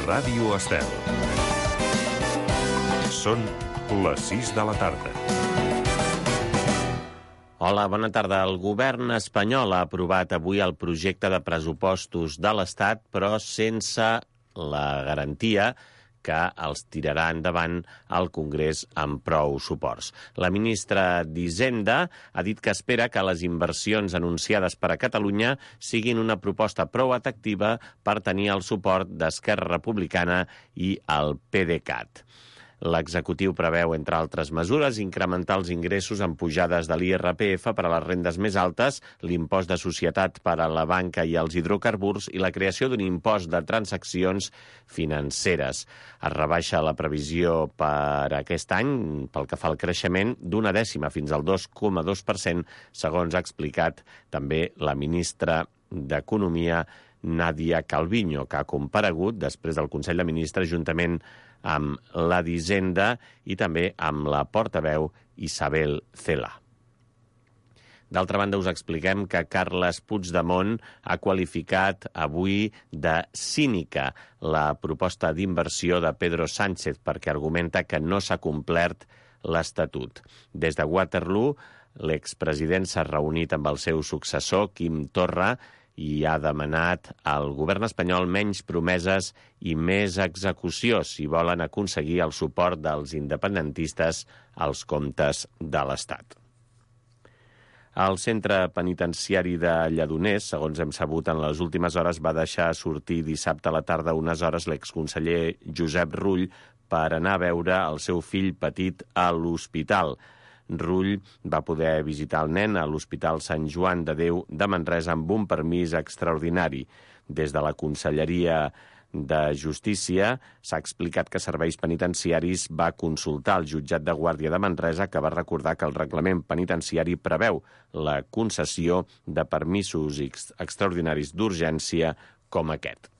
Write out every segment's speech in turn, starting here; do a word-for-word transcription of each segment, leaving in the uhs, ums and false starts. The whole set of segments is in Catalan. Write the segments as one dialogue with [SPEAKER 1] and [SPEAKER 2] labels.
[SPEAKER 1] Ràdio Estel. Són les sis de la tarda.
[SPEAKER 2] Hola, bona tarda. El govern espanyol ha aprovat avui el projecte de pressupostos de l'Estat, però sense la garantia que els tirarà endavant al Congrés amb prou suports. La ministra d'Hisenda ha dit que espera que les inversions anunciades per a Catalunya siguin una proposta prou atractiva per tenir el suport d'Esquerra Republicana i el PDeCAT. L'executiu preveu, entre altres mesures, incrementar els ingressos amb pujades de l'I R P F per a les rendes més altes, l'impost de societat per a la banca i els hidrocarburs i la creació d'un impost de transaccions financeres. Es rebaixa la previsió per aquest any, pel que fa al creixement, d'una dècima fins al dos coma dos per cent, segons ha explicat també la ministra d'Economia, Nadia Calviño, que ha comparegut després del Consell de Ministres juntament amb la d'Hisenda i també amb la portaveu Isabel Cela. D'altra banda, us expliquem que Carles Puigdemont ha qualificat avui de cínica la proposta d'inversió de Pedro Sánchez perquè argumenta que no s'ha complert l'Estatut. Des de Waterloo, l'expresident s'ha reunit amb el seu successor, Quim Torra, i ha demanat al govern espanyol menys promeses i més execució si volen aconseguir el suport dels independentistes als comptes de l'Estat. El centre penitenciari de Lledoners, segons hem sabut en les últimes hores, va deixar sortir dissabte a la tarda unes hores l'exconseller Josep Rull per anar a veure el seu fill petit a l'hospital. Rull va poder visitar el nen a l'Hospital Sant Joan de Déu de Manresa amb un permís extraordinari. Des de la Conselleria de Justícia s'ha explicat que Serveis Penitenciaris va consultar el jutjat de Guàrdia de Manresa, que va recordar que el reglament penitenciari preveu la concessió de permisos extraordinaris d'urgència com aquest.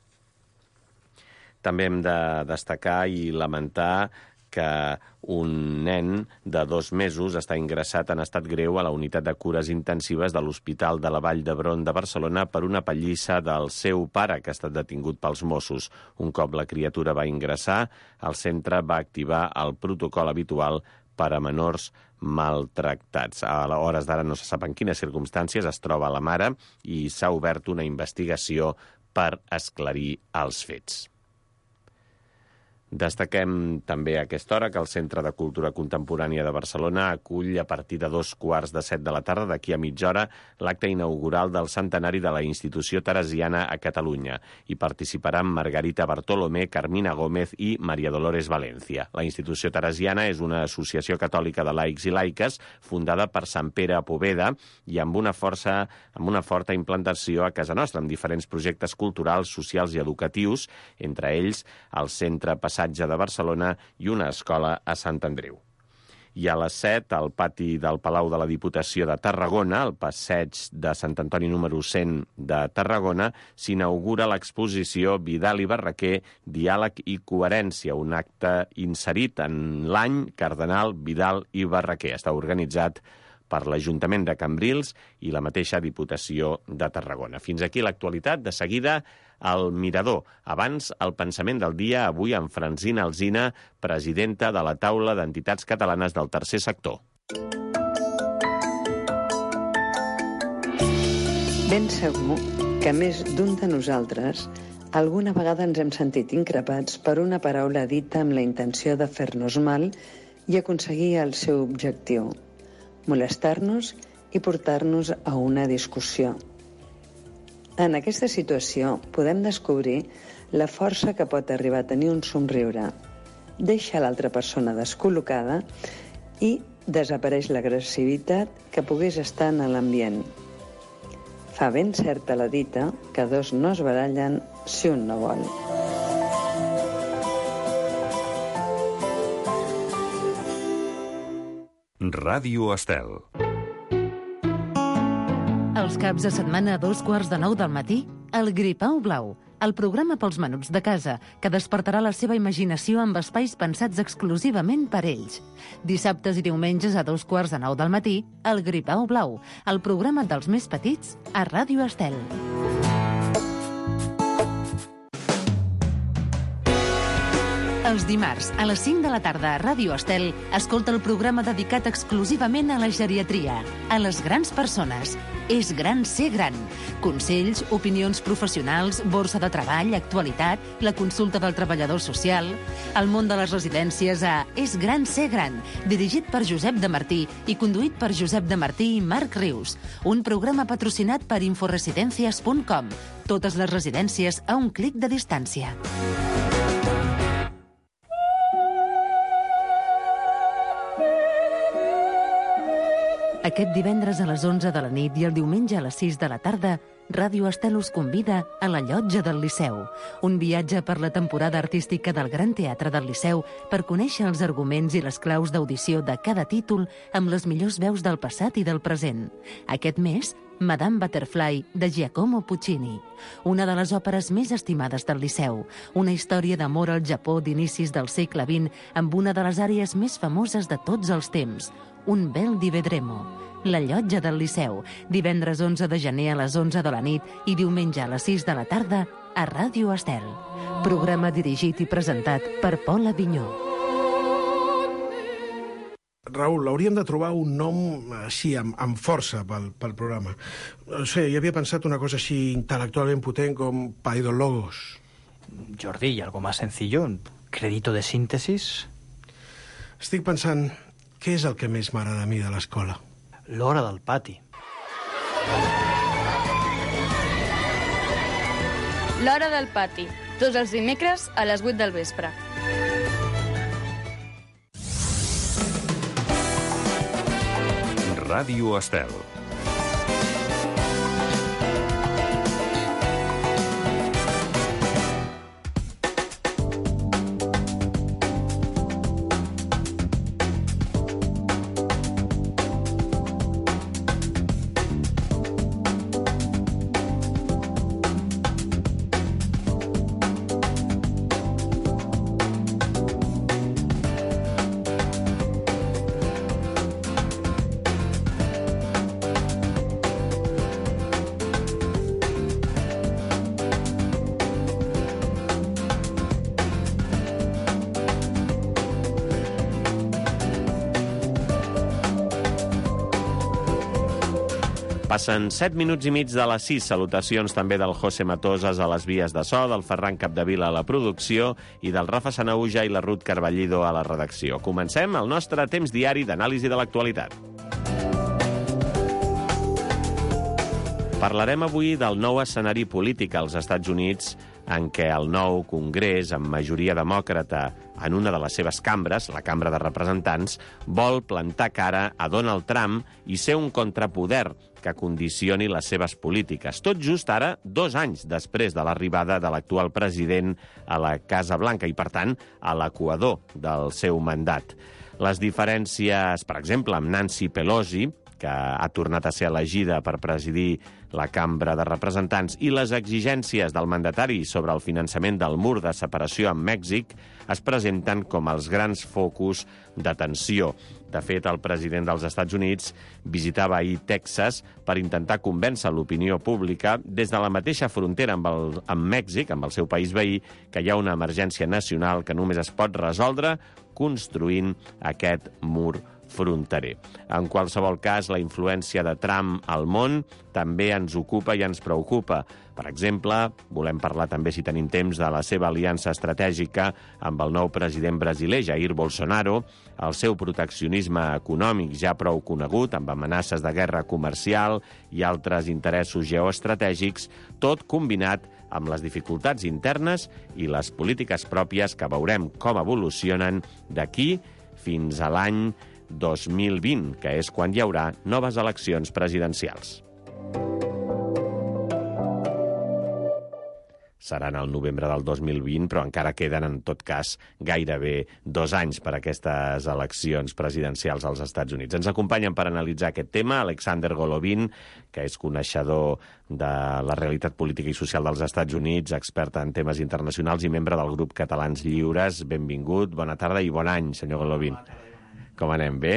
[SPEAKER 2] També hem de destacar i lamentar que un nen de dos mesos està ingressat en estat greu a la unitat de cures intensives de l'Hospital de la Vall d'Hebron de Barcelona per una pallissa del seu pare, que ha estat detingut pels Mossos. Un cop la criatura va ingressar, el centre va activar el protocol habitual per a menors maltractats. A hores d'ara no se sap en quines circumstàncies es troba la mare i s'ha obert una investigació per esclarir els fets. Destaquem també a aquesta hora que el Centre de Cultura Contemporània de Barcelona acull a partir de dos quarts de set de la tarda, d'aquí a mitja hora, l'acte inaugural del centenari de la institució teresiana a Catalunya. Hi participaran Margarita Bartolomé, Carmina Gómez i Maria Dolores Valencia. La institució teresiana és una associació catòlica de laics i laiques fundada per Sant Pere a Poveda i amb una, força, amb una forta implantació a casa nostra, amb diferents projectes culturals, socials i educatius, entre ells el Centre Passat de Barcelona i una escola a Sant Andreu. I a les set, al pati del Palau de la Diputació de Tarragona, al passeig de Sant Antoni número cent de Tarragona, s'inaugura l'exposició Vidal i Barraquer, Diàleg i Coherència, un acte inserit en l'any Cardenal Vidal i Barraquer. Està organitzat per l'Ajuntament de Cambrils i la mateixa Diputació de Tarragona. Fins aquí l'actualitat. De seguida, el Mirador. Abans, el pensament del dia, avui amb Francina Alsina, presidenta de la Taula d'Entitats Catalanes del Tercer Sector.
[SPEAKER 3] Ben segur que més d'un de nosaltres alguna vegada ens hem sentit increpats per una paraula dita amb la intenció de fer-nos mal i aconseguir el seu objectiu, molestar-nos i portar-nos a una discussió. En aquesta situació podem descobrir la força que pot arribar a tenir un somriure. Deixa l'altra persona descol·locada i desapareix l'agressivitat que pogués estar en l'ambient. Fa ben certa la dita que dos no es barallen si un no vol.
[SPEAKER 1] Ràdio Estel.
[SPEAKER 4] Els caps de setmana a dos quarts de nou del matí, el Gripau Blau, el programa pels menuts de casa, que despertarà la seva imaginació amb espais pensats exclusivament per ells. Dissabtes i diumenges a dos quarts de nou del matí, el Gripau Blau, el programa dels més petits a Ràdio Estel. Els dimarts, a les cinc de la tarda a Ràdio Estel, escolta el programa dedicat exclusivament a la geriatria, a les grans persones. És gran ser gran. Consells, opinions professionals, borsa de treball, actualitat, la consulta del treballador social, el món de les residències a És gran ser gran, dirigit per Josep de Martí i conduït per Josep de Martí i Marc Rius. Un programa patrocinat per inforesidencias punt com. Totes les residències a un clic de distància. Aquest divendres a les onze de la nit i el diumenge a les sis de la tarda, Ràdio Estel us convida a la Llotja del Liceu, un viatge per la temporada artística del Gran Teatre del Liceu per conèixer els arguments i les claus d'audició de cada títol amb les millors veus del passat i del present. Aquest mes, Madame Butterfly, de Giacomo Puccini, una de les òperes més estimades del Liceu, una història d'amor al Japó d'inicis del segle vint amb una de les àrees més famoses de tots els temps, Un bel di vedremo. La Llotja del Liceu, divendres onze de gener a les onze de la nit i diumenge a les sis de la tarda a Ràdio Estel. Programa dirigit i presentat per Pol Avinyó.
[SPEAKER 5] Raül, hauríem de trobar un nom així, amb, amb força pel, pel programa. No sé, jo havia pensat una cosa així intel·lectualment potent com Paidologos.
[SPEAKER 6] Jordi, ¿y algo más sencillo? ¿Crédito de síntesis?
[SPEAKER 5] Estic pensant, què és el que més m'agrada a mi de l'escola?
[SPEAKER 6] L'hora del pati.
[SPEAKER 7] L'hora del pati, tots els dimecres a les vuit del vespre.
[SPEAKER 1] Ràdio Estel.
[SPEAKER 2] Passen set minuts i mig de les sis. Salutacions també del José Matosas a les vies de so, del Ferran Capdevila a la producció i del Rafa Sanauja i la Ruth Carballido a la redacció. Comencem el nostre temps diari d'anàlisi de l'actualitat. Parlarem avui del nou escenari polític als Estats Units en què el nou Congrés, amb majoria demòcrata en una de les seves cambres, la Cambra de Representants, vol plantar cara a Donald Trump i ser un contrapoder que condicioni les seves polítiques. Tot just ara, dos anys després de l'arribada de l'actual president a la Casa Blanca i, per tant, a l'equador del seu mandat. Les diferències, per exemple, amb Nancy Pelosi, que ha tornat a ser elegida per presidir la Cambra de Representants, i les exigències del mandatari sobre el finançament del mur de separació amb Mèxic es presenten com els grans focus d'atenció. De fet, el president dels Estats Units visitava ahir Texas per intentar convèncer l'opinió pública des de la mateixa frontera amb, el, amb Mèxic, amb el seu país veí, que hi ha una emergència nacional que només es pot resoldre construint aquest mur fronterer. En qualsevol cas, la influència de Trump al món també ens ocupa i ens preocupa. Per exemple, volem parlar també, si tenim temps, de la seva aliança estratègica amb el nou president brasiler, Jair Bolsonaro, el seu proteccionisme econòmic ja prou conegut, amb amenaces de guerra comercial i altres interessos geoestratègics, tot combinat amb les dificultats internes i les polítiques pròpies que veurem com evolucionen d'aquí fins a l'any dos mil vint, que és quan hi haurà noves eleccions presidencials. Seran el novembre del dos mil vint, però encara queden, en tot cas, gairebé dos anys per a aquestes eleccions presidencials als Estats Units. Ens acompanyen per analitzar aquest tema Alexander Golovin, que és coneixedor de la realitat política i social dels Estats Units, expert en temes internacionals i membre del grup Catalans Lliures. Benvingut, bona tarda i bon any, senyor Golovin. Com anem, bé?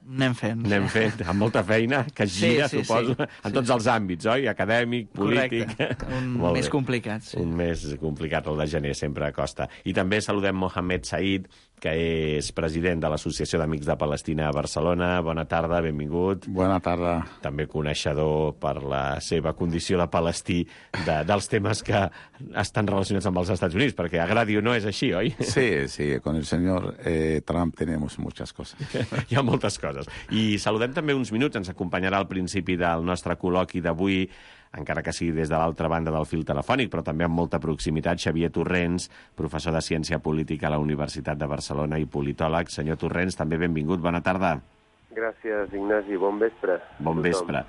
[SPEAKER 6] Anem fent.
[SPEAKER 2] Anem fent, amb molta feina, que gira,
[SPEAKER 6] sí, sí,
[SPEAKER 2] suposo,
[SPEAKER 6] sí.
[SPEAKER 2] en tots els àmbits, oi? Acadèmic, polític...
[SPEAKER 6] Correcte. Un
[SPEAKER 2] Molt
[SPEAKER 6] més
[SPEAKER 2] bé.
[SPEAKER 6] complicat, sí.
[SPEAKER 2] Un més complicat, el de gener, sempre costa. I també saludem Mohamed Said, que és president de l'Associació d'Amics de Palestina a Barcelona. Bona tarda, benvingut.
[SPEAKER 8] Bona tarda.
[SPEAKER 2] També coneixedor per la seva condició de palestí de, dels temes que estan relacionats amb els Estats Units, perquè agradi o no és així, oi?
[SPEAKER 8] Sí, sí, con el señor eh, Trump tenemos muchas cosas.
[SPEAKER 2] Hi ha moltes coses. I saludem també uns minuts, ens acompanyarà al principi del nostre col·loqui d'avui, encara que sigui des de l'altra banda del fil telefònic, però també amb molta proximitat, Xavier Torrents, professor de Ciència Política a la Universitat de Barcelona i politòleg. Senyor Torrents, també benvingut, bona tarda.
[SPEAKER 9] Gràcies, Ignasi, bon vespre.
[SPEAKER 2] Bon vespre,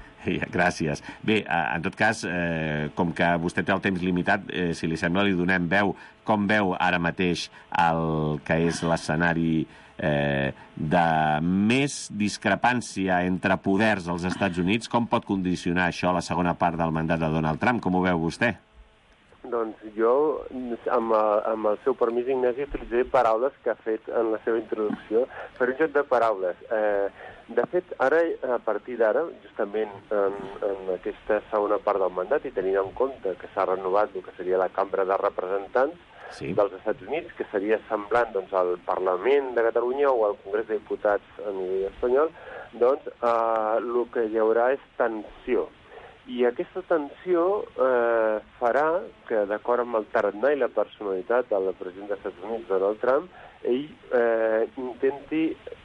[SPEAKER 2] gràcies. Bé, en tot cas, eh, com que vostè té el temps limitat, eh, si li sembla, li donem veu. Com veu ara mateix el que és l'escenari eh, de més discrepància entre poders als Estats Units? Com pot condicionar això la segona part del mandat de Donald Trump? Com ho veu vostè?
[SPEAKER 9] Doncs jo, amb, amb el seu permís, Ignasi, utilitzaré paraules que ha fet en la seva introducció per un joc de paraules. Eh, de fet, ara, a partir d'ara, justament en, en aquesta segona part del mandat, i tenint en compte que s'ha renovat el que seria la Cambra de Representants sí. dels Estats Units, que seria semblant doncs, al Parlament de Catalunya o al Congrés de Diputats a nivell espanyol, doncs eh, el que hi haurà és tensió. I aquesta tensió eh, farà que, d'acord amb el tarannà i la personalitat del president dels Estats Units, Donald Trump, ell eh, intenti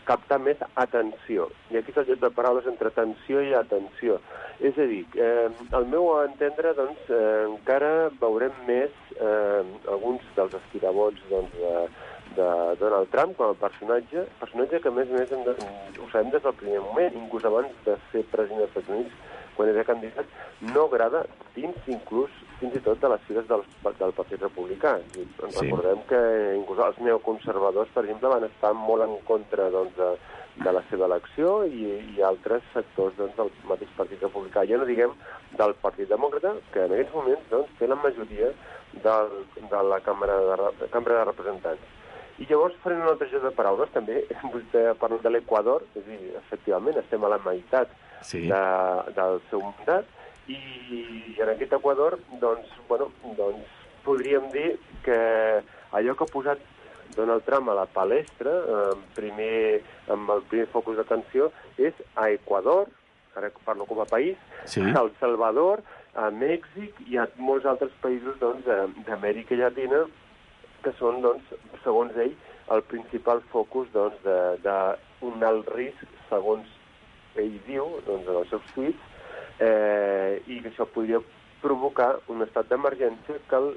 [SPEAKER 9] captar més atenció. I aquí és el joc de paraules entre tensió i atenció. És a dir, eh, al meu entendre, doncs, eh, encara veurem més eh, alguns dels estirabots doncs, de, de Donald Trump com a personatge, personatge que, a més a més, hem de, ho sabem des del primer moment, inclús abans de ser president dels Estats Units, quan era candidat, no agrada dins inclús fins i tot de les files del, del Partit Republicà. I ens sí. recordem que inclús els neoconservadors, per exemple, van estar molt en contra doncs, de, de la seva elecció i, i altres sectors doncs, del mateix Partit Republicà. Ja no diguem del Partit Demòcrata, que en aquests moments doncs, té la majoria del, de la Cambra de, Cambra de Representants. I llavors farem un altre joc de paraules, també. Vostè ha parlat de l'Equador, és a dir, efectivament, estem a la meitat sí. de, del seu mandat, i, i en aquest Equador, doncs, bueno, doncs, podríem dir que allò que ha posat Donald Trump a la palestra, eh, primer, amb el primer focus d'atenció, és a Equador, ara parlo com a país, sí. a El Salvador, a Mèxic i a molts altres països doncs, d'Amèrica Llatina, que són, doncs, segons ell, el principal focus doncs, d'un alt risc, segons ell diu, doncs, en els seus tuits, eh, i que això podria provocar un estat d'emergència que el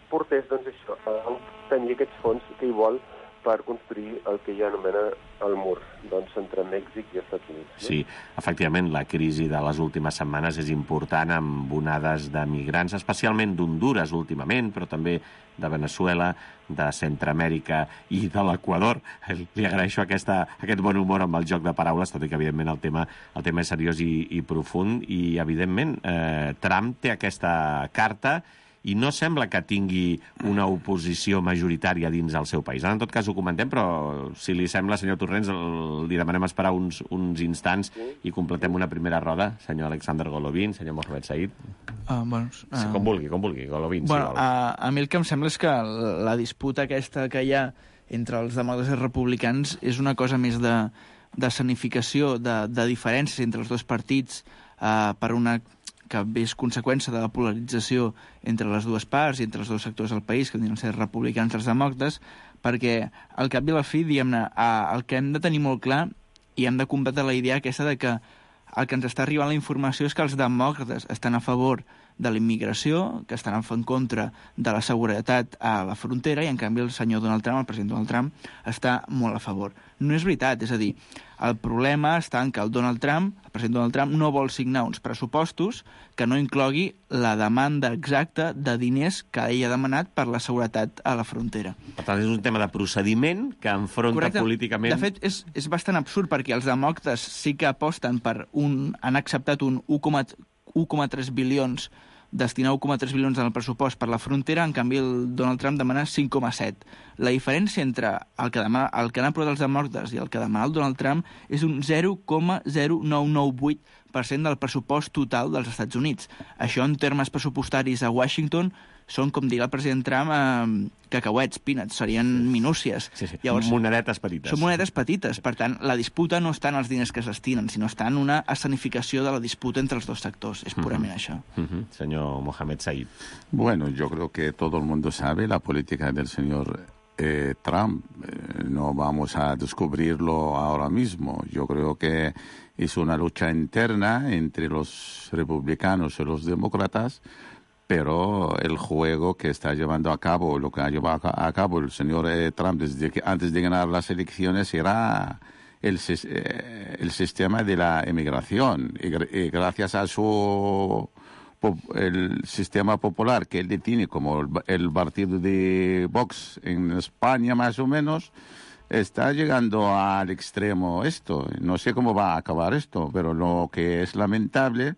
[SPEAKER 9] portés doncs, això, a tenir aquests fons que hi vol per construir el que ja anomena el mur, doncs, entre Mèxic i Estats Units. No?
[SPEAKER 2] Sí, efectivament, la crisi de les últimes setmanes és important amb onades de migrants, especialment d'Hondures últimament, però també de Venezuela, de Centroamèrica i de l'Equador. Li agraeixo aquesta, aquest bon humor amb el joc de paraules, tot i que, evidentment, el tema, el tema és seriós i, i profund, i, evidentment, eh, Trump té aquesta carta i no sembla que tingui una oposició majoritària dins el seu país. Ara, en tot cas, ho comentem, però si li sembla, senyor Torrents, el, li demanem esperar uns, uns instants sí. i completem una primera roda. Senyor Alexander Golovin, senyor Mohamed Said.
[SPEAKER 6] Uh, bueno, uh...
[SPEAKER 2] sí, com vulgui, com vulgui, Golovin,
[SPEAKER 6] bueno,
[SPEAKER 2] si vol.
[SPEAKER 6] Uh, a mi el que em sembla és que la disputa aquesta que hi ha entre els demòcrates i republicans és una cosa més de, de sanificació, de, de diferències entre els dos partits uh, per una que és conseqüència de la polarització entre les dues parts i entre els dos sectors del país, que diuen ser republicans i els demòcrates, perquè al cap i a la fi, diguem-ne, el que hem de tenir molt clar i hem de combatre la idea aquesta de que el que ens està arribant la informació és que els demòcrates estan a favor de la immigració, que estan en contra de la seguretat a la frontera, i en canvi el senyor Donald Trump, el president Donald Trump, està molt a favor. No és veritat, és a dir, el problema està en que el Donald Trump, el president Donald Trump, no vol signar uns pressupostos que no inclogui la demanda exacta de diners que ell ha demanat per la seguretat a la frontera.
[SPEAKER 2] Per tant, és un tema de procediment que enfronta
[SPEAKER 6] Correcte.
[SPEAKER 2] políticament...
[SPEAKER 6] De fet, és, és bastant absurd, perquè els demòcrates sí que aposten per un... han acceptat un u coma tres bilions destina un coma tres bilions en el pressupost per la frontera, en canvi el Donald Trump demana cinc coma set. La diferència entre el que, demana, el que han aprovat els demòcrates i el que demana el Donald Trump és un zero coma zero nou nou vuit per cent del pressupost total dels Estats Units. Això, en termes pressupostaris a Washington, són, com diria el president Trump, eh, cacauets, peanuts, serien minúcies.
[SPEAKER 2] Sí, sí.
[SPEAKER 6] Llavors,
[SPEAKER 2] monedetes petites.
[SPEAKER 6] Són monedes petites. Per tant, la disputa no està en els diners que es destinen, sinó està en una escenificació de la disputa entre els dos sectors. És purament uh-huh. això.
[SPEAKER 2] Uh-huh. Senyor Mohamed Said.
[SPEAKER 8] Bueno, yo creo que todo el mundo sabe la política del señor eh, Trump. Eh, no vamos a descubrirlo ahora mismo. Yo creo que es una lucha interna entre los republicanos y los demócratas, pero el juego que está llevando a cabo, lo que ha llevado a cabo el señor eh, Trump desde que, antes de ganar las elecciones era el, eh, el sistema de la emigración. Y, y gracias a su el sistema popular que él tiene, como el, el partido de Vox en España más o menos, está llegando al extremo esto. No sé cómo va a acabar esto, pero lo que es lamentable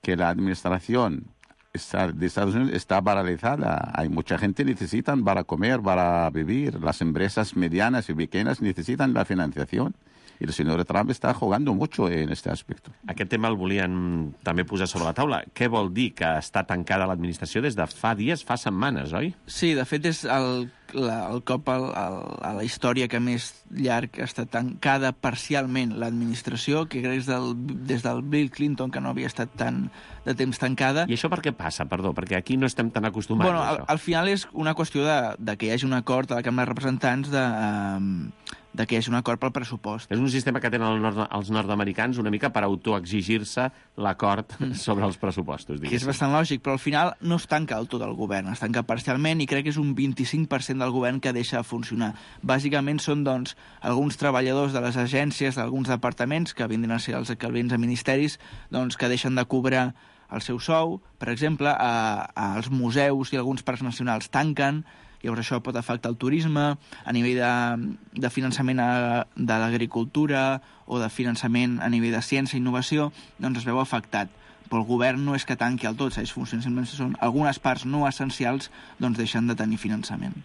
[SPEAKER 8] que la administración de Estados Unidos está paralizada. Hay mucha gente que necesitan para comer, para vivir. Las empresas medianas y pequeñas necesitan la financiación. I el senyor Trump està jugant mucho en este aspecto.
[SPEAKER 2] Aquest tema el volien també posar sobre la taula. Què vol dir que està tancada l'administració des de fa dies, fa setmanes, oi?
[SPEAKER 6] Sí, de fet és el, la, el cop al, al, a la història que més llarg està tancada parcialment l'administració, que crec del, des del Bill Clinton, que no havia estat tan de temps tancada.
[SPEAKER 2] I això per què passa, perdó? Perquè aquí no estem tan acostumats
[SPEAKER 6] bueno,
[SPEAKER 2] a
[SPEAKER 6] això. Al, al final és una qüestió de, de que hi hagi un acord a la Cambra de Representants de... Um, de que hi hagi un acord pel pressupost.
[SPEAKER 2] És un sistema que tenen el nord, els nord-americans una mica per autoexigir-se l'acord mm. sobre els pressupostos. Diguéssim.
[SPEAKER 6] Que és bastant lògic, però al final no es tanca el tot el govern, es tanca parcialment i crec que és un vint-i-cinc per cent del govern que deixa de funcionar. Bàsicament són, doncs, alguns treballadors de les agències, d'alguns departaments, que vindran a ser els equivalents a ministeris, doncs, que deixen de cobrar el seu sou. Per exemple, a, als museus i alguns parcs nacionals tanquen. Llavors això pot afectar el turisme, a nivell de, de finançament a, de l'agricultura o de finançament a nivell de ciència i innovació, doncs es veu afectat. Però el govern no és que tanqui el tot, segueix funcionant, simplement són algunes parts no essencials, doncs deixen de tenir finançament.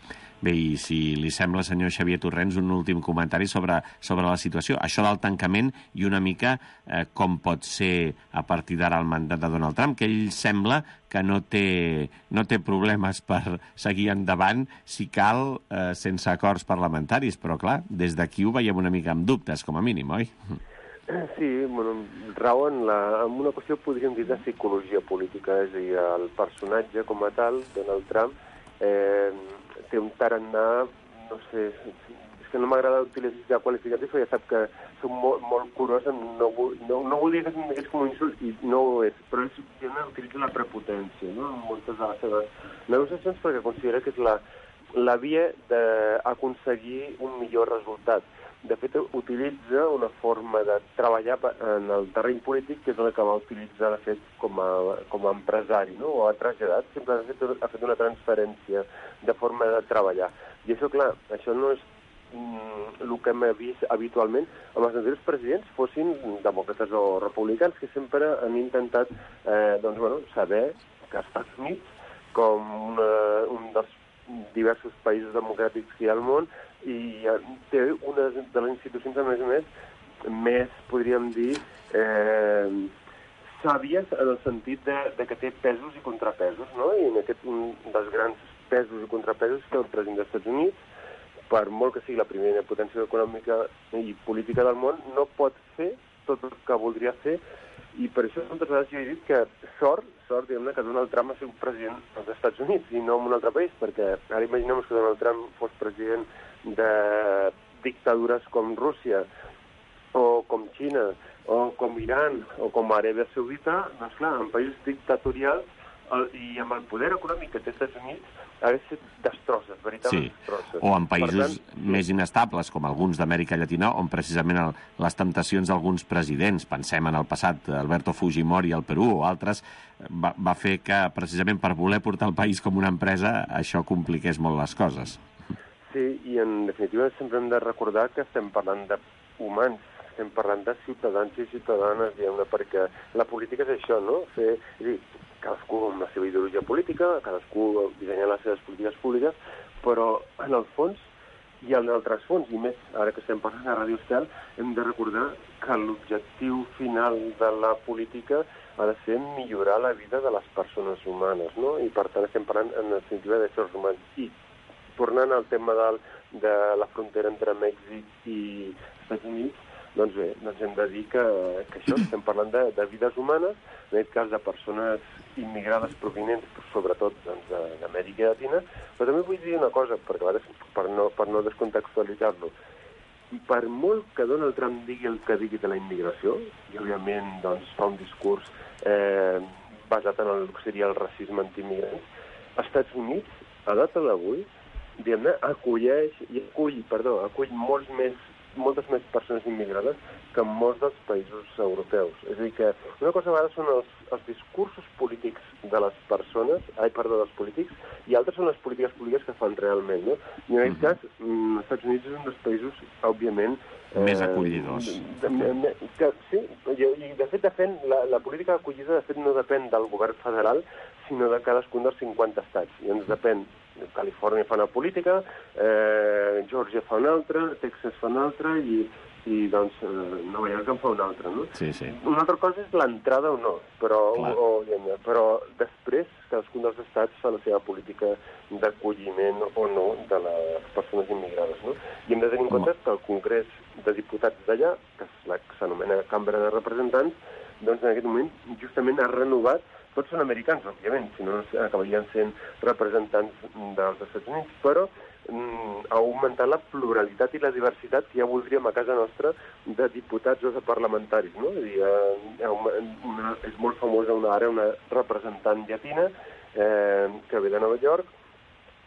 [SPEAKER 2] Bé, i si li sembla, senyor Xavier Torrents, un últim comentari sobre, sobre la situació. Això del tancament i una mica eh, com pot ser a partir d'ara el mandat de Donald Trump, que ell sembla que no té, no té problemes per seguir endavant, si cal, eh, sense acords parlamentaris. Però, clar, des d'aquí ho veiem una mica amb dubtes, com a mínim, oi?
[SPEAKER 9] Sí, bueno, rau en, la, en una qüestió, podríem dir, de psicologia política. És a dir, el personatge com a tal, Donald Trump, eh, té un tarannà, no sé, és que no m'agrada utilitzar qualificatius, perquè ja sap que soc molt, molt curós, no, no, no volia que se'm digués com un insult, i no ho és, però ell utilitza la prepotència, no?, en moltes de les seves negociacions, perquè considera que és la, la via d'aconseguir un millor resultat. De fet, utilitza una forma de treballar en el terreny polític que és la que va utilitzar, de fet, com a, com a empresari, no?, o ha traslladat, sempre ha fet, ha fet una transferència de forma de treballar. I això, clar, això no és mm, el que hem vist habitualment amb els anteriors presidents, fossin demòcrates o republicans, que sempre han intentat eh, doncs, bueno, saber que als Estats Units, com una, un dels diversos països democràtics que hi ha al món, i té una de les institucions, a més a més, més, podríem dir, eh, sàvies en el sentit de, de que té pesos i contrapesos, no? I en aquest, un dels grans pesos i contrapesos que el president dels Estats Units, per molt que sigui la primera potència econòmica i política del món, no pot fer tot el que voldria fer, i per això moltes vegades jo he dit que sort, sort, diguem-ne, que Donald Trump ha sigut president dels Estats Units i no en un altre país, perquè ara imaginem que Donald Trump fos president de dictadures com Rússia, o com Xina, o com Iran, o com Aràbia Saudita, doncs clar, en països dictatorials el, i amb el poder econòmic que té els Estats Units, hauria estat destrosses, veritables
[SPEAKER 2] sí.
[SPEAKER 9] destrosses.
[SPEAKER 2] O en països
[SPEAKER 9] tant,
[SPEAKER 2] més inestables, com alguns d'Amèrica Llatina, on precisament el, les temptacions d'alguns presidents, pensem en el passat, Alberto Fujimori al Perú o altres, va, va fer que precisament per voler portar el país com una empresa, això compliqués molt les coses.
[SPEAKER 9] Sí, i en definitiva sempre hem de recordar que estem parlant d'humans estem parlant de ciutadans i ciutadanes, diguem-ne, perquè la política és això, no? Fer, és dir, cadascú amb la seva ideologia política, cadascú dissenyant les seves polítiques públiques, però en el fons i en altres fons, i més ara que estem parlant a Ràdio Estel, hem de recordar que l'objectiu final de la política ha de ser millorar la vida de les persones humanes, no? I per tant estem parlant en definitiva d'éssers humans. I tornant al tema del, de la frontera entre Mèxic i Estats Units, doncs bé, doncs hem de dir que, que això, estem parlant de, de vides humanes, en aquest cas de persones immigrades provinents, sobretot doncs, d'Amèrica Llatina, però també vull dir una cosa, perquè a vegades, per no, per no descontextualitzar-lo, per molt que Donald Trump digui el que digui de la immigració, i òbviament doncs, fa un discurs eh, basat en el que seria el racisme antiimmigrants, als Estats Units, a data d'avui, diguem-ne, acolleix, i acull, perdó, acull molts més moltes més persones immigrades que en molts dels països europeus. És a dir, que una cosa a vegades són els, els discursos polítics de les persones, ai, perdó, dels polítics, i altres són les polítiques públiques que fan realment, no? I en aquest cas, mm, els Estats Units és un dels països, òbviament...
[SPEAKER 2] Eh, més acollidors.
[SPEAKER 9] De, de, que, sí, i, i de fet, de fet la, la política d'acollida, de fet, no depèn del govern federal, sinó de cadascun dels cinquanta estats. I ens depèn. Califòrnia fa una política, eh, Georgia fa una altra, Texas fa una altra i, i doncs, eh, Nova York en fa una altra, no?
[SPEAKER 2] Sí, sí.
[SPEAKER 9] Una altra cosa és l'entrada o no, però, o, o, però després cadascun dels estats fa la seva política d'acolliment o no de les persones immigrades, no? I hem de tenir en compte que el Congrés de Diputats d'allà, que és la que s'anomena Cambra de Representants, doncs en aquest moment justament ha renovat. Tots són americans, òbviament, si no acabarien sent representants dels Estats Units, però mm, ha augmentat la pluralitat i la diversitat que ja voldríem a casa nostra de diputats o de parlamentaris, no? És, dir, eh, una, és molt famosa una ara, una representant llatina eh, que ve de Nova York,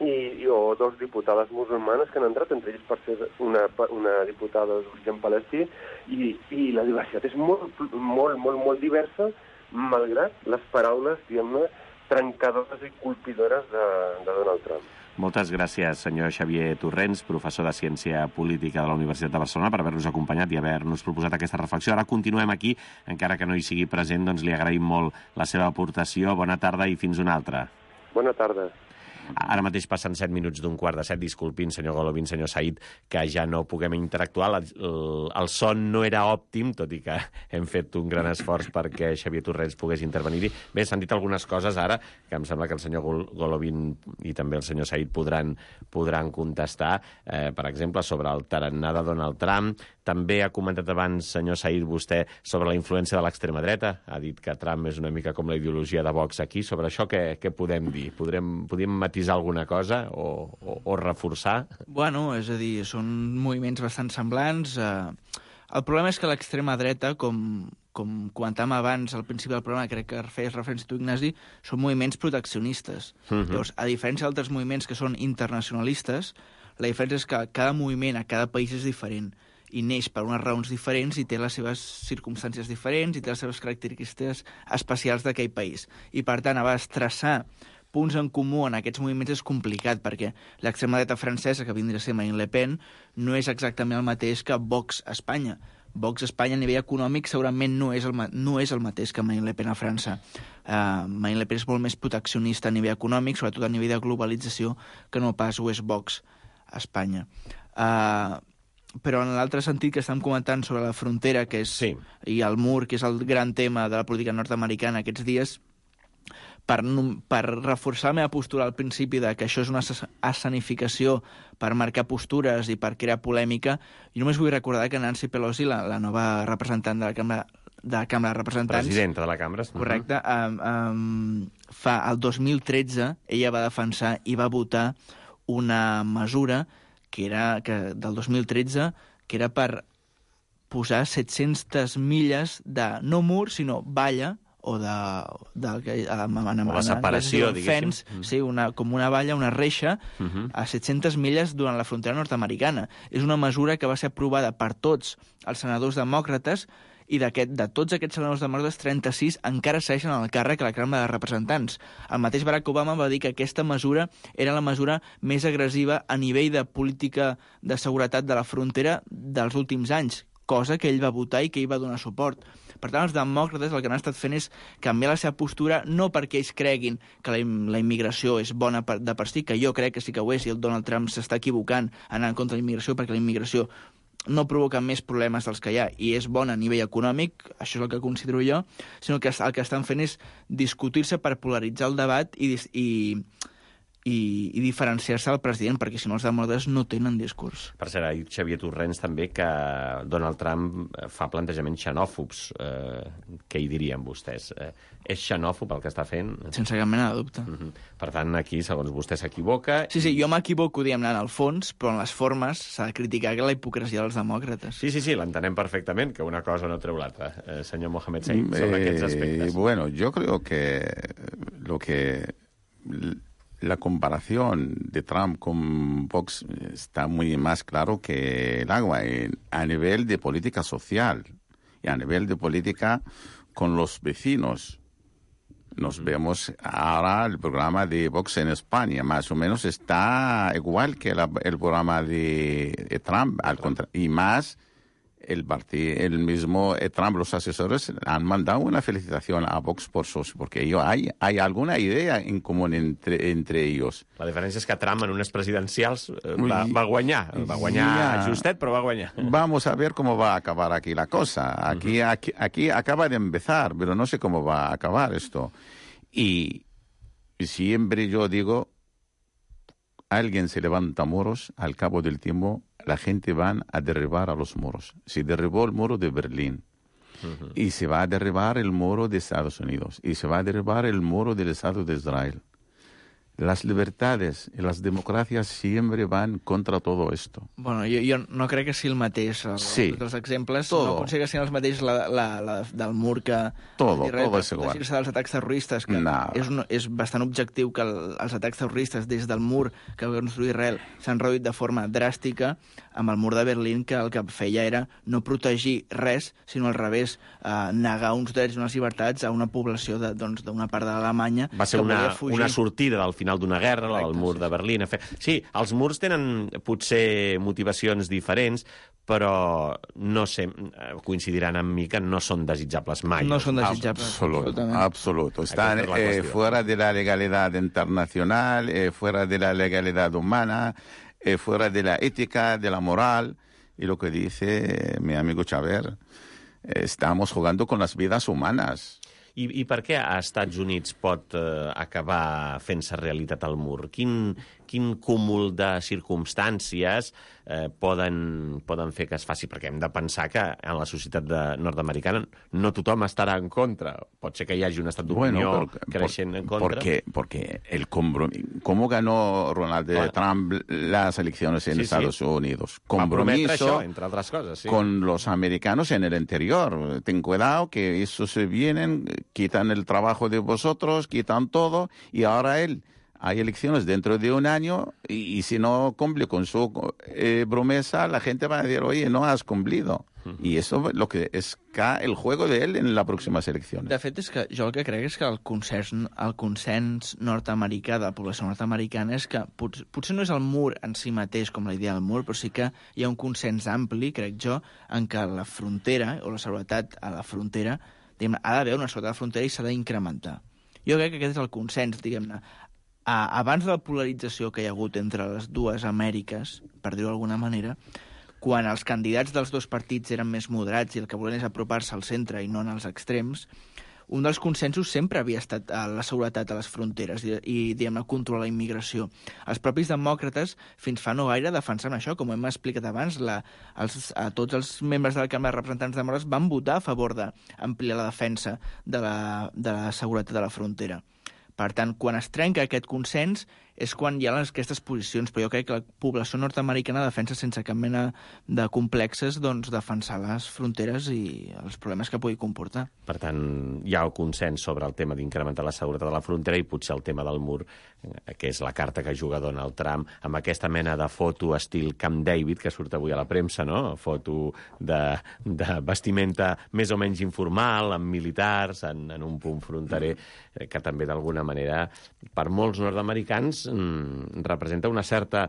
[SPEAKER 9] i, i o dos diputades musulmanes que han entrat, entre ells per ser una, una diputada d'origen palestí, i, i la diversitat és molt, molt, molt, molt diversa, malgrat les paraules, diguem-ne, trencadores i colpidores de, de Donald Trump.
[SPEAKER 2] Moltes gràcies, senyor Xavier Torrents, professor de Ciència Política de la Universitat de Barcelona, per haver-nos acompanyat i haver-nos proposat aquesta reflexió. Ara continuem aquí, encara que no hi sigui present, doncs li agraïm molt la seva aportació. Bona tarda i fins una altra.
[SPEAKER 9] Bona tarda.
[SPEAKER 2] Ara mateix passen set minuts d'un quart de set. Disculpin, senyor Golovin, senyor Said, que ja no puguem interactuar. El, el son no era òptim, tot i que hem fet un gran esforç perquè Xavier Torrents pogués intervenir-hi. Bé, s'han dit algunes coses ara, que em sembla que el senyor Golovin i també el senyor Said podran, podran contestar. Eh, per exemple, sobre el tarannà de Donald Trump. També ha comentat abans, senyor Said, vostè, sobre la influència de l'extrema dreta. Ha dit que Trump és una mica com la ideologia de Vox aquí. Sobre això què, què podem dir? Podrem, podem matisar alguna cosa o, o, o reforçar?
[SPEAKER 6] Bueno, és a dir, són moviments bastant semblants. El problema és que l'extrema dreta, com, com comentàvem abans al principi del programa, crec que feies referència a tu, Ignasi, són moviments proteccionistes. Uh-huh. Llavors, a diferència d'altres moviments que són internacionalistes, la diferència és que cada moviment a cada país és diferent i neix per unes raons diferents i té les seves circumstàncies diferents i té les seves característiques especials d'aquell país. I, per tant, a vegades traçar punts en comú en aquests moviments és complicat, perquè l'extrema dreta francesa, que vindria a ser Marine Le Pen, no és exactament el mateix que Vox a Espanya. Vox a Espanya a nivell econòmic segurament no és el, no és el mateix que Marine Le Pen a França. Uh, Marine Le Pen és molt més proteccionista a nivell econòmic, sobretot a nivell de globalització, que no pas ho és Vox a Espanya. Uh, però en l'altre sentit que estem comentant sobre la frontera, que és, sí, i el mur, que és el gran tema de la política nord-americana aquests dies, per, per reforçar la meva postura al principi de que això és una escenificació per marcar postures i per crear polèmica, jo només vull recordar que Nancy Pelosi, la, la nova representant de la Cambra de la Cambra de Representants...
[SPEAKER 2] Presidenta de la Cambra.
[SPEAKER 6] Correcte. Um, um, fa el dos mil tretze ella va defensar i va votar una mesura que era que del dos mil tretze, que era per posar set-centes milles de, no mur, sinó valla, o de... de, de, de
[SPEAKER 2] o la separació, diguéssim.
[SPEAKER 6] Fence, mm. Sí, una, com una valla, una reixa, uh -huh, a set-centes milles durant la frontera nord-americana. És una mesura que va ser aprovada per tots els senadors demòcrates i de tots aquests senadors demòcrates, trenta-sis encara segueixen al càrrec a la Cambra de Representants. El mateix Barack Obama va dir que aquesta mesura era la mesura més agressiva a nivell de política de seguretat de la frontera dels últims anys. cosa que ell va votar i que ell va donar suport. Per tant, els demòcrates el que han estat fent és canviar la seva postura, no perquè ells creguin que la, la immigració és bona per, de per si, que jo crec que sí que ho és, i el Donald Trump s'està equivocant anant contra la immigració, perquè la immigració no provoca més problemes dels que hi ha i és bona a nivell econòmic, això és el que considero jo, sinó que el que estan fent és discutir-se per polaritzar el debat i, i, i, i diferenciar-se del president, perquè si no els demòcrates no tenen discurs.
[SPEAKER 2] Per cert, ha dit Xavier Torrents també que Donald Trump fa plantejaments xenòfobs. Eh, què hi dirien vostès? Eh, és xenòfob el que està fent?
[SPEAKER 6] Sense cap mena de dubte.
[SPEAKER 2] Uh-huh. Per tant, aquí, segons vostè, s'equivoca.
[SPEAKER 6] Sí, sí, jo m'equivoco, diguem-ne, en el fons, però en les formes s'ha de criticar la hipocresia dels demòcrates.
[SPEAKER 2] Sí, sí, sí, l'entenem perfectament, que una cosa no treu l'altra. Eh, senyor Mohamed Said, sobre eh, aquests aspectes.
[SPEAKER 8] Bueno, yo creo que lo que... La comparación de Trump con Vox está muy más claro que el agua a nivel de política social y a nivel de política con los vecinos. Nos vemos ahora el programa de Vox en España, más o menos está igual que la, el programa de, de Trump, al contra, y más el partido, el mismo eh, Trump, los asesores han mandado una felicitación a Vox por socio, porque ellos, hay, hay alguna idea en común entre, entre ellos.
[SPEAKER 2] La diferència és que Trump en unes presidencials va, va guanyar. Va guanyar yeah. justet, però va guanyar.
[SPEAKER 8] Vamos a ver cómo va a acabar aquí la cosa. Aquí, uh-huh. aquí, aquí acaba de empezar, pero no sé cómo va a acabar esto. Y, y siempre yo digo, alguien se levanta muros, al cabo del tiempo la gente va a derribar a los muros. Se derribó el muro de Berlín uh-huh. y se va a derribar el muro de Estados Unidos y se va a derribar el muro del Estado de Israel. Las libertades i les democràcies sempre van contra todo esto.
[SPEAKER 6] Bueno, jo, jo no crec que sigui el mateix. El,
[SPEAKER 8] sí.
[SPEAKER 6] Els exemples
[SPEAKER 8] todo.
[SPEAKER 6] No pot ser que siguin els mateixos la, la, la, del mur que...
[SPEAKER 8] Todo, todo és igual.
[SPEAKER 6] dels atacs terroristes, que
[SPEAKER 8] no.
[SPEAKER 6] és, un, és bastant objectiu que el, els atacs terroristes des del mur que va construir Israel s'han reduït de forma dràstica amb el mur de Berlín, que el que feia era no protegir res, sinó al revés, eh, negar uns drets i unes llibertats a una població d'una doncs, part d'Alemanya
[SPEAKER 2] va ser una, una sortida del final d'una guerra, el mur de Berlín. Sí, els murs tenen potser motivacions diferents, però no sé, coincidiran amb mi que no són desitjables mai.
[SPEAKER 6] No són desitjables.
[SPEAKER 8] Absoluto, absoluto. Están eh, fuera de la legalidad internacional, eh, fuera de la legalidad humana, eh, fuera de la ética, de la moral, y lo que dice eh, mi amigo Xavier, eh, estamos jugando con las vidas humanas.
[SPEAKER 2] I, I per què a Estats Units pot eh, acabar fent-se realitat el mur? Quin, quin cúmul de circumstàncies eh, poden, poden fer que es faci? Perquè hem de pensar que en la societat de nord-americana no tothom estarà en contra. Pot ser que hi hagi un estat d'opinió bueno, creixent en contra.
[SPEAKER 8] Porque, porque el ¿Cómo ganó Ronald bueno. Trump las elecciones en sí, Estados sí. Unidos? Compromiso
[SPEAKER 2] això, entre altres coses, sí.
[SPEAKER 8] con los americanos en el interior. Ten cuidado que esos se vienen, quitan el trabajo de vosotros, quitan todo, y ahora él... Hay elecciones dentro de un año y, y si no cumple con su eh, promesa, la gente va a decir, oye, no has cumplido. Uh-huh. Y eso lo que es el juego de él en las próximas elecciones.
[SPEAKER 6] De fet, és que jo el que crec és que el consens, el consens nord-americà de la població nord-americana és que pot, potser no és el mur en si mateix com la idea del mur, però sí que hi ha un consens ampli, crec jo, en què la frontera o la seguretat a la frontera, diguem, ha d'haver una seguretat a la frontera i s'ha d'incrementar. Jo crec que aquest és el consens, diguem-ne. Abans de la polarització que hi ha hagut entre les dues Amèriques, per dir-ho d'alguna manera, quan els candidats dels dos partits eren més moderats i el que volien és apropar-se al centre i no en els extrems, un dels consensos sempre havia estat la seguretat a les fronteres i, i diguem-ne, controlar la immigració. Els propis demòcrates, fins fa no gaire, defensaven això. Com hem explicat abans, la, els, a tots els membres de la Cambra de Representants demòcrates van votar a favor d'ampliar la defensa de la, de la seguretat de la frontera. Per tant, quan es trenca aquest consens és quan hi ha aquestes posicions, però jo crec que la població nord-americana defensa sense cap mena de complexes doncs, defensar les fronteres i els problemes que pugui comportar.
[SPEAKER 2] Per tant, hi ha el consens sobre el tema d'incrementar la seguretat de la frontera i potser el tema del mur, que és la carta que juga Donald Trump, amb aquesta mena de foto estil Camp David, que surt avui a la premsa, no? Foto de, de vestimenta més o menys informal, amb militars, en, en un punt fronterer, que també d'alguna manera, per molts nord-americans, representa una certa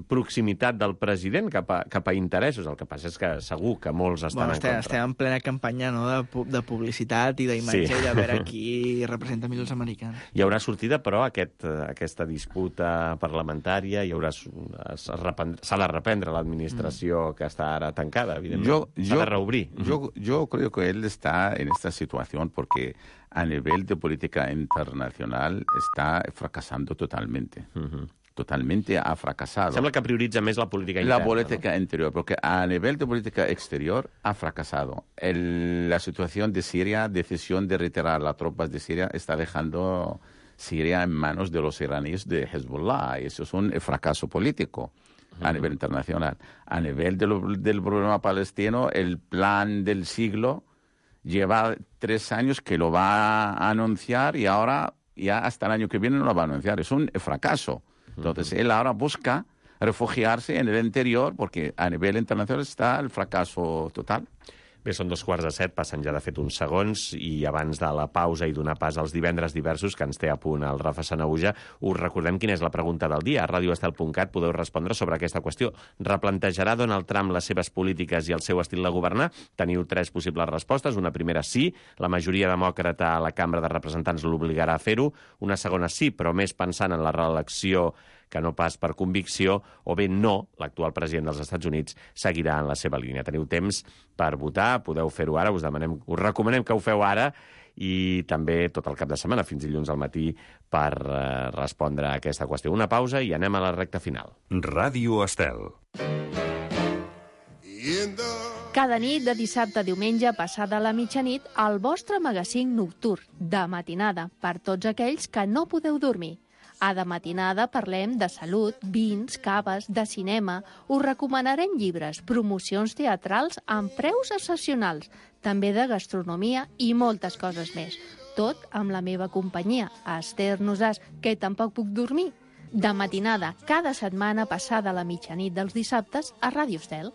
[SPEAKER 2] proximitat del president cap a, cap a interessos. El que passa és que segur que molts estan
[SPEAKER 6] bueno,
[SPEAKER 2] en
[SPEAKER 6] estem,
[SPEAKER 2] contra.
[SPEAKER 6] Estem en plena campanya, no?, de, de publicitat i d'imatge, sí. I de veure qui representa millor els americans.
[SPEAKER 2] Hi haurà sortida, però, aquest, aquesta disputa parlamentària, hi haurà, s'ha de reprendre l'administració mm. que està ara tancada, evidentment. S'ha de reobrir.
[SPEAKER 8] Yo, yo creo que él está en esta situación porque a nivel de política internacional está fracasando totalmente. Uh-huh. Totalmente ha fracasado.
[SPEAKER 2] Sembla que prioritza més la política interna.
[SPEAKER 8] La política
[SPEAKER 2] ¿no?
[SPEAKER 8] interior, porque a nivel de política exterior ha fracasado. El, la situación de Siria, decisión de retirar las tropas de Siria, está dejando Siria en manos de los iraníes de Hezbollah. Y eso es un fracaso político a uh-huh. nivel internacional. A nivel de lo, del problema palestino, el plan del siglo lleva tres años que lo va a anunciar y ahora ya hasta el año que viene no lo va a anunciar. Es un fracaso. Entonces, él ahora busca refugiarse en el interior porque a nivel internacional está el fracaso total.
[SPEAKER 2] Bé, són dos quarts de set, passen ja de fet uns segons, i abans de la pausa i donar pas als divendres diversos, que ens té a punt el Rafa Sanahuja, us recordem quina és la pregunta del dia. A radio estel punt cat podeu respondre sobre aquesta qüestió. Replantejarà Donald Trump les seves polítiques i el seu estil de governar? Teniu tres possibles respostes. Una primera, sí. La majoria demòcrata a la Cambra de Representants l'obligarà a fer-ho. Una segona, sí, però més pensant en la reelecció que no pas per convicció, o bé no, l'actual president dels Estats Units seguirà en la seva línia. Teniu temps per votar, podeu fer-ho ara, us demanem, us recomanem que ho feu ara, i també tot el cap de setmana, fins dilluns al matí, per eh, respondre a aquesta qüestió. Una pausa i anem a la recta final.
[SPEAKER 1] Ràdio Estel.
[SPEAKER 10] Cada nit de dissabte a diumenge, passada la mitjanit, el vostre magazín nocturn, de matinada, per tots aquells que no podeu dormir. A De Matinada parlem de salut, vins, caves, de cinema, us recomanarem llibres, promocions teatrals amb preus excepcionals, també de gastronomia i moltes coses més. Tot amb la meva companyia, Esther Nosàs, que tampoc puc dormir. De Matinada, cada setmana passada la mitjanit dels dissabtes a Ràdio Estel.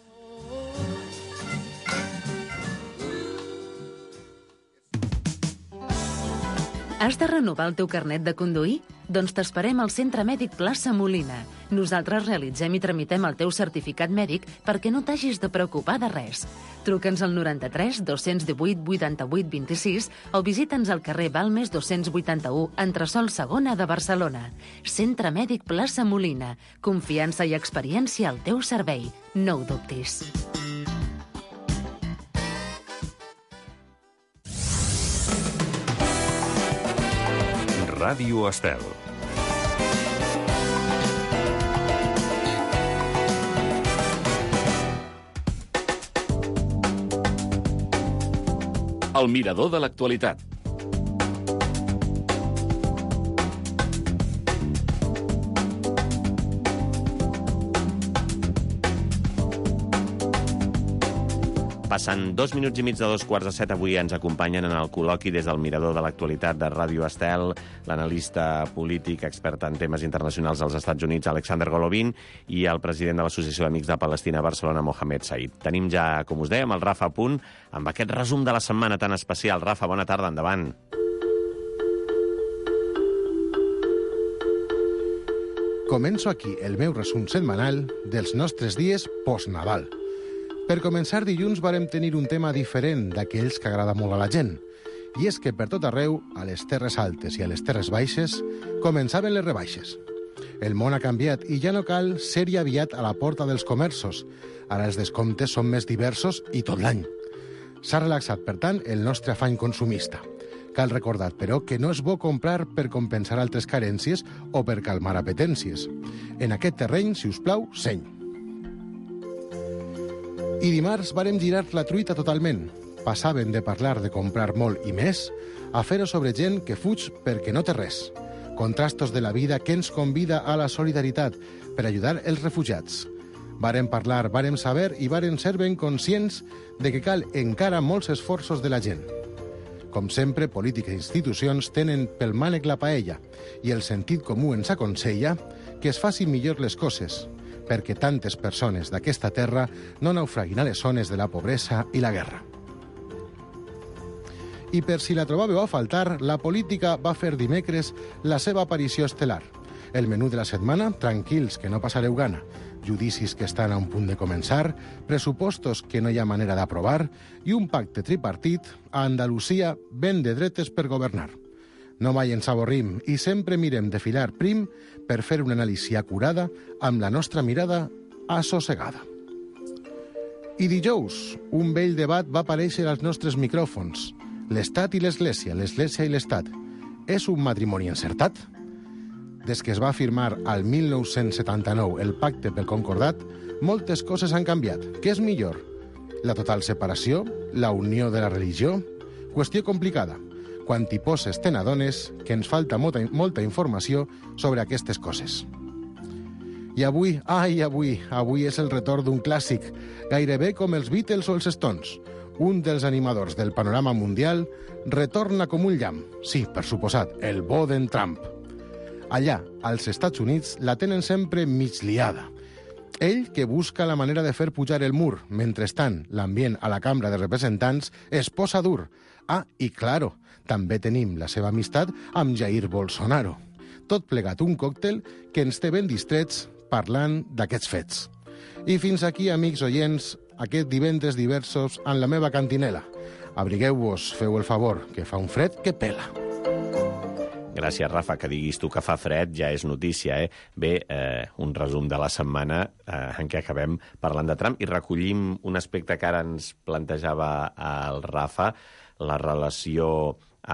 [SPEAKER 4] Has de renovar el teu carnet de conduir? Doncs t'esperem al Centre Mèdic Plaça Molina. Nosaltres realitzem i tramitem el teu certificat mèdic perquè no t'hagis de preocupar de res. Truca'ns al noranta-tres dos cents divuit vuitanta-vuit vint-i-sis o visita'ns al carrer Balmes dos-cents vuitanta-u, entresòl segona de Barcelona. Centre Mèdic Plaça Molina. Confiança i experiència al teu servei. No ho dubtis.
[SPEAKER 1] Ràdio Estel.
[SPEAKER 11] El mirador de l'actualitat.
[SPEAKER 2] Passen dos minuts i mig de dos quarts de set. Avui ens acompanyen en el col·loqui des del Mirador de l'Actualitat de Ràdio Estel l'analista polític expert en temes internacionals dels Estats Units, Alexander Golovin, i el president de l'Associació d'Amics de Palestina a Barcelona, Mohamed Said. Tenim ja, com us dèiem, el Rafa a punt amb aquest resum de la setmana tan especial. Rafa, bona tarda, endavant.
[SPEAKER 12] Començo aquí el meu resum setmanal dels nostres dies post-Nadal. Per començar, dilluns vàrem tenir un tema diferent d'aquells que agrada molt a la gent. I és que per tot arreu, a les terres altes i a les terres baixes, començaven les rebaixes. El món ha canviat i ja no cal ser-hi aviat a la porta dels comerços. Ara els descomptes són més diversos i tot l'any. S'ha relaxat, per tant, el nostre afany consumista. Cal recordar, però, que no és bo comprar per compensar altres carències o per calmar apetències. En aquest terreny, si us plau, seny. I dimarts vàrem girar la truita totalment. Passaven de parlar de comprar molt i més a fer-ho sobre gent que fuig perquè no té res. Contrastos de la vida que ens convida a la solidaritat per ajudar els refugiats. Vàrem parlar, vàrem saber i vàrem ser ben conscients de que cal encara molts esforços de la gent. Com sempre, polítiques i institucions tenen pel mànec la paella i el sentit comú ens aconsella que es facin millor les coses, perquè tantes persones d'aquesta terra no naufraguin a les zones de la pobresa i la guerra. I per si la trobàveu a faltar, la política va fer dimecres la seva aparició estel·lar. El menú de la setmana, tranquils, que no passareu gana. Judicis que estan a un punt de començar, pressupostos que no hi ha manera d'aprovar i un pacte tripartit a Andalusia ben de dretes per governar. No mai ens avorrim i sempre mirem de filar prim per fer una anàlisi acurada amb la nostra mirada assossegada. I dijous, un vell debat va aparèixer als nostres micròfons. L'Estat i l'Església, l'Església i l'Estat. És un matrimoni encertat? Des que es va firmar al mil nou-cents setanta-nou el pacte pel Concordat, moltes coses han canviat. Què és millor? La total separació? La unió de la religió? Qüestió complicada. Quan t'hi poses te n'adones que ens falta molta, molta informació sobre aquestes coses. I avui, ai, avui, avui és el retorn d'un clàssic, gairebé com els Beatles o els Stones. Un dels animadors del panorama mundial retorna com un llamp. Sí, per suposat, el bo d'en Trump. Allà, als Estats Units, la tenen sempre mig liada. Ell, que busca la manera de fer pujar el mur, mentrestant l'ambient a la Cambra de Representants es posa dur. Ah, i claro, també tenim la seva amistat amb Jair Bolsonaro. Tot plegat un còctel que ens té ben distrets parlant d'aquests fets. I fins aquí, amics oients, aquest divendres diversos en la meva cantinela. Abrigueu-vos, feu el favor, que fa un fred que pela.
[SPEAKER 2] Gràcies, Rafa, que diguis tu que fa fred ja és notícia, eh? Bé, eh, un resum de la setmana eh, en què acabem parlant de Trump i recollim un aspecte que ara ens plantejava el Rafa, la relació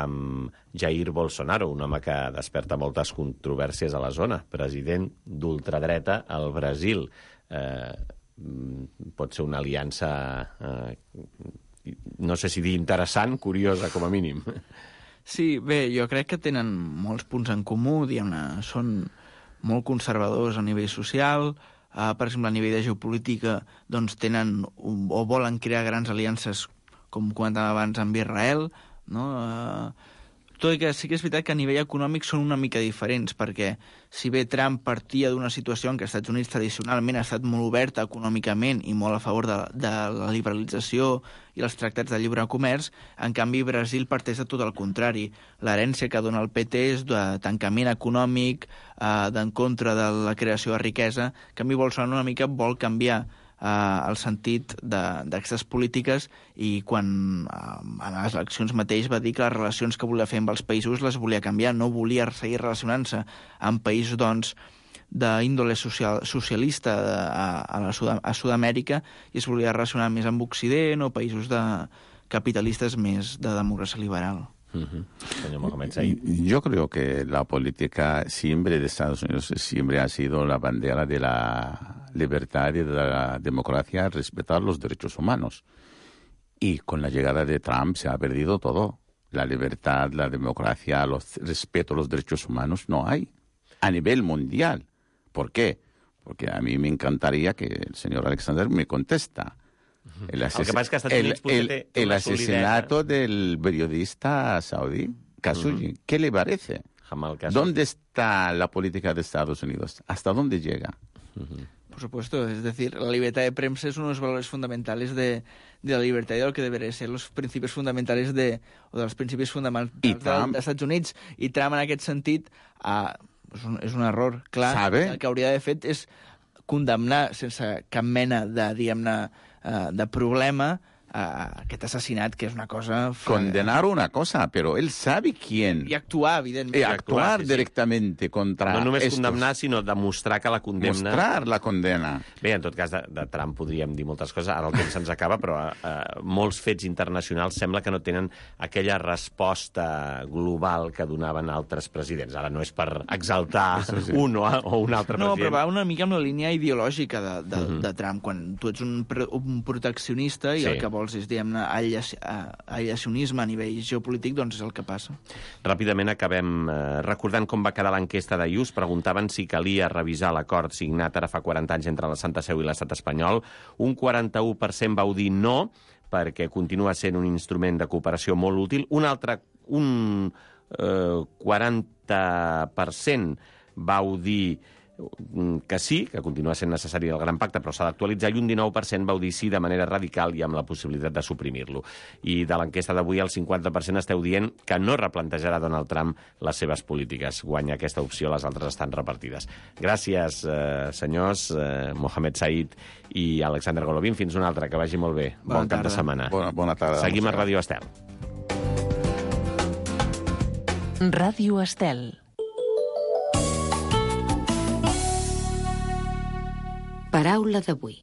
[SPEAKER 2] amb Jair Bolsonaro, un home que desperta moltes controvèrsies a la zona, president d'ultradreta al Brasil. Eh, pot ser una aliança, eh, no sé si dir interessant, curiosa com a mínim.
[SPEAKER 6] Sí, bé, jo crec que tenen molts punts en comú, diguem-ne, són molt conservadors a nivell social, uh, per exemple, a nivell de geopolítica, doncs tenen un, o volen crear grans aliances, com comentàvem abans, amb Israel, no? Uh, tot i que sí que és veritat que a nivell econòmic són una mica diferents, perquè si bé Trump partia d'una situació en què els Estats Units tradicionalment ha estat molt oberta econòmicament i molt a favor de, de la liberalització i els tractats de lliure comerç, en canvi Brasil parteix de tot el contrari. L'herència que dona el P T és de tancament econòmic, eh, d'en contra de la creació de riquesa. En canvi Bolsonaro una mica vol canviar Uh, el sentit d'aquestes polítiques i quan uh, a les eleccions mateix va dir que les relacions que volia fer amb els països les volia canviar, no volia seguir relacionant-se amb països doncs, d'índole social, socialista a, a, la Sud a Sud-amèrica i es volia relacionar més amb Occident o països de capitalistes més de democràcia liberal.
[SPEAKER 8] Uh-huh. Yo creo que la política siempre de Estados Unidos siempre ha sido la bandera de la libertad y de la democracia, respetar los derechos humanos. Y con la llegada de Trump se ha perdido todo. La libertad, la democracia, los respeto a los derechos humanos no hay a nivel mundial. ¿Por qué? Porque a mí me encantaría que el señor Alexander me contesta. El, ases... el, que pasa es que el, el, té, té el asesinato del periodista saudí, Khashoggi, uh-huh. ¿Qué le parece? ¿Dónde está la política de Estados Unidos? ¿Hasta dónde llega?
[SPEAKER 6] Uh-huh. Por supuesto, es decir, la libertad de prensa es uno de los valores fundamentales de, de la libertad y de lo que deberían ser los principios fundamentales de, o dels principis fonamentals de, dels Estats Units. I Trump, en aquest sentit, uh, és, un, és un error clar.
[SPEAKER 8] ¿Sabe?
[SPEAKER 6] El que hauria d'haver fet és condemnar sense cap mena de, diguem-ne, uh, de problema uh, aquest assassinat, que és una cosa...
[SPEAKER 8] Condenar una cosa, pero él sabe quién.
[SPEAKER 6] I actuar, evidentment.
[SPEAKER 8] Y actuar sí, sí. directamente contra
[SPEAKER 2] no només
[SPEAKER 8] estos.
[SPEAKER 2] Condemnar, sinó demostrar que la condemna...
[SPEAKER 8] Mostrar la condena.
[SPEAKER 2] Bé, en tot cas, de, de Trump podríem dir moltes coses, ara el temps se'ns acaba, però uh, molts fets internacionals sembla que no tenen aquella resposta global que donaven altres presidents. Ara no és per exaltar sí. un o, o un altre
[SPEAKER 6] no,
[SPEAKER 2] president.
[SPEAKER 6] No, però va una mica amb la línia ideològica de, de, uh-huh. de Trump. Quan tu ets un, un proteccionista i sí. el que vols és, diguem-ne, aïllacionisme a nivell geopolític, doncs és el que passa.
[SPEAKER 2] Ràpidament acabem eh, recordant com va quedar l'enquesta de I U S. Preguntaven si calia revisar l'acord signat ara fa quaranta anys entre la Santa Seu i l'estat espanyol. Un quaranta-u per cent vau dir no, perquè continua sent un instrument de cooperació molt útil. Un altre, un eh, quaranta per cent vau dir que sí, que continua sent necessari el gran pacte, però s'ha d'actualitzar, i un dinou per cent vau dir sí de manera radical i amb la possibilitat de suprimir-lo. I de l'enquesta d'avui, el cinquanta per cent esteu dient que no replantejarà Donald Trump les seves polítiques. Guanya aquesta opció, les altres estan repartides. Gràcies, eh, senyors, eh, Mohamed Said i Alexander Golovin. Fins una altra, que vagi molt bé.
[SPEAKER 6] Bona
[SPEAKER 2] bon cap
[SPEAKER 6] tarda.
[SPEAKER 2] de setmana.
[SPEAKER 8] Bona, bona tarda.
[SPEAKER 2] Seguim a Ràdio Estel.
[SPEAKER 4] Ràdio Estel. Paraula d'avui.